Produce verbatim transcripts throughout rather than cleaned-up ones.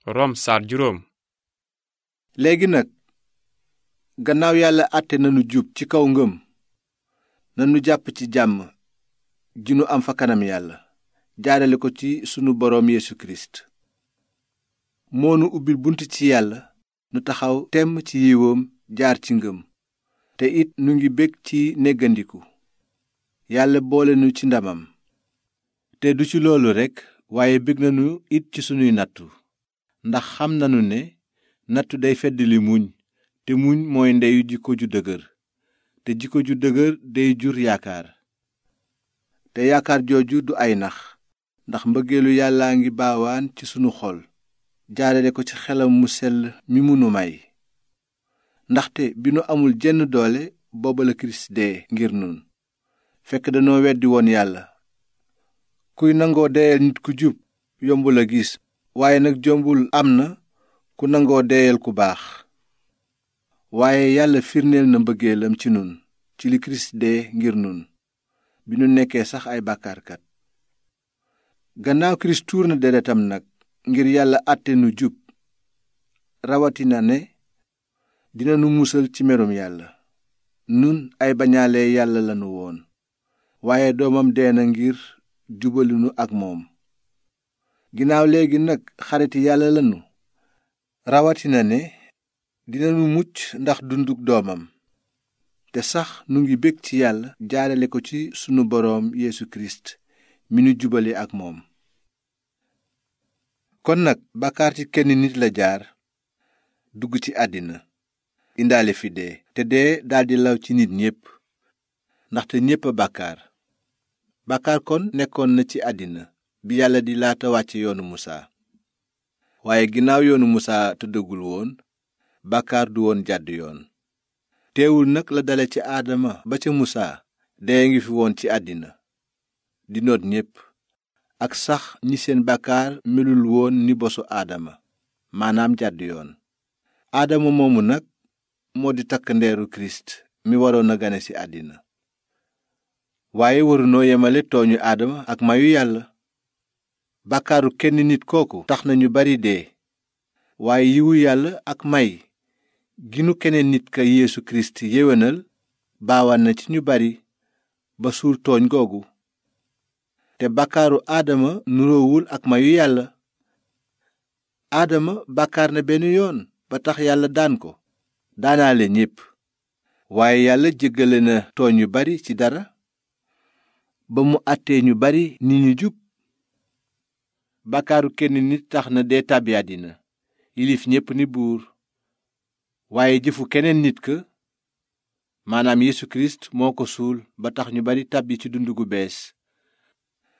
Rom saar juróom. léegi nag gannaaw yàlla àtte nanu jub ci kaw ngëm nanu jàpp ci jàmm ji nu am fa kanam yàlla jaarale ko ci sunu boroom Yeesu Kirist moo nu ubbil bunt ci yàlla nu taxaw temm ci yiwoom jaar ci ngëm te it nu ngi bég ci néggandiku yàlla boole nu ci ndamam te du ci loolu rekk waaye bég nanu it ci sunuy nattu ndax xam nanu ne nattu day feddali muñ te muñ mooy ndeyu jikko ju dëgër te jikko ju dëgër day jur yaakaar te yaakaar jooju du ay nax ndax mbëggeelu yàllaa ngi baawaan ci sunu xol jaarale ko ci xelam mu sell mi munu may ndaxte bi nu amul jenn doole booba la Kirist dee ngir nun fekk danoo weddi woon yàlla kuy nangoo deyal nit ku jub yombul a gis waaye nag jombul am na ku nangoo deyal ku baax waaye yàlla firneel na mbëggeelam ci nun ci li Kirist dee ngir nun bi nu nekkee sax ay bàkkaarkat gannaaw Kirist tuur na deretam nag ngir yàlla àtte nu jub rawatina ne dina nu musal ci merum yàlla nun ay bañaale yàlla lanu woon waaye doomam dee na ngir jubali nu ak moom ginnaaw léegi nag xariti yàlla lanu rawatina ne dinanu mucc ndax dunduk doomam te sax nu ngi bég ci yàlla jaarale ko ci sunu boroom Yeesu Kirist mi nu jubale ak moom kon nag bàkkaar ci kenn nit la jaar dugg ci àddina indaale fi dee te dee daldi law ci nit ñépp ndaxte ñépp a bàkkaar bàkkaar kon nekkoon na ci àddina bi yàlla di laata wàcce yoonu musaa waaye ginnaaw yoonu musaa tëddagul woon bàkkaar du woon jàdd yoon teewul nag la dale ci aadama ba ca musaa dee ngi fi woon ci àddina di noot ñépp ak sax ñi seen bàkkaar melul woon ni bosu aadama maanaam jàdd yoon aadama moomu nag moo di takk ndeeru Kirist mi waroon a gane ci àddina waaye warunoo yemale tooñu aadama ak mayu yàlla bàkkaaru kenn nit kooku tax na ñu bari dee waaye yiwu yàlla ak may ginu keneen nit ka Yeesu Kirist yéwénal baawaan na ci ñu bari ba suul tooñ googu te bàkkaaru aadama nuroowul ak mayu yàlla aadama bàkkaar na benn yoon ba tax yàlla daan ko daanaale ñépp waaye yàlla jéggale na tooñ yu bari ci dara ba mu àttee ñu bari ni ñu jub bàkkaaru kenn nit tax na dee tàbbi àddina yilif ñépp ni buur waaye jëfu keneen nit ka maanaam Yeesu Kirist moo ko suul ba tax ñu bari tàbbi ci dund gu bees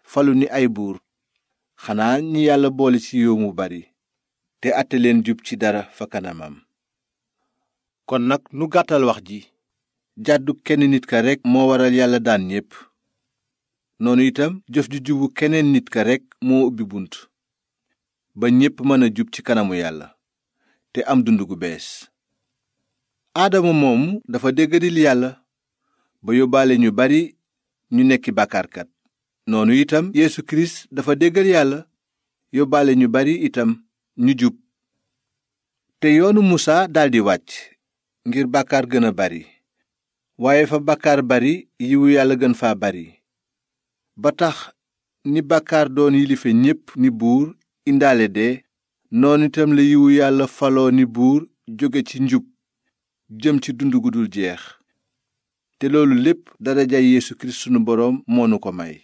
falu ni ay buur xanaa ñi yàlla boole ci yiw mu bari te àtte leen jub ci dara fa kanamam kon nag nu gàttal wax ji jàddu kenn nit ka rekk moo waral yàlla daan ñépp noonu itam jëf ju jubu keneen nit ka rekk moo ubbi bunt ba ñépp mën a jub ci kanamu yàlla te am dund gu bees aadama moomu dafa déggadil yàlla ba yóbbaale ñu bari ñu nekki bàkkaarkat noonu itam Yeesu Kirist dafa déggal yàlla yóbbaale ñu bari itam ñu jub te yoonu musaa daldi wàcc ngir bàkkaar gën a bari waaye fa bàkkaar bari yiwu yàlla gën faa bari ba tax ni bàkkaar doon yilife ñépp ni buur indaale dee noonu itam la yiwu yàlla faloo ni buur jóge ci njub jëm ci dund gu dul jeex te loolu lépp darajay Yeesu Kirist sunu boroom moo nu ko may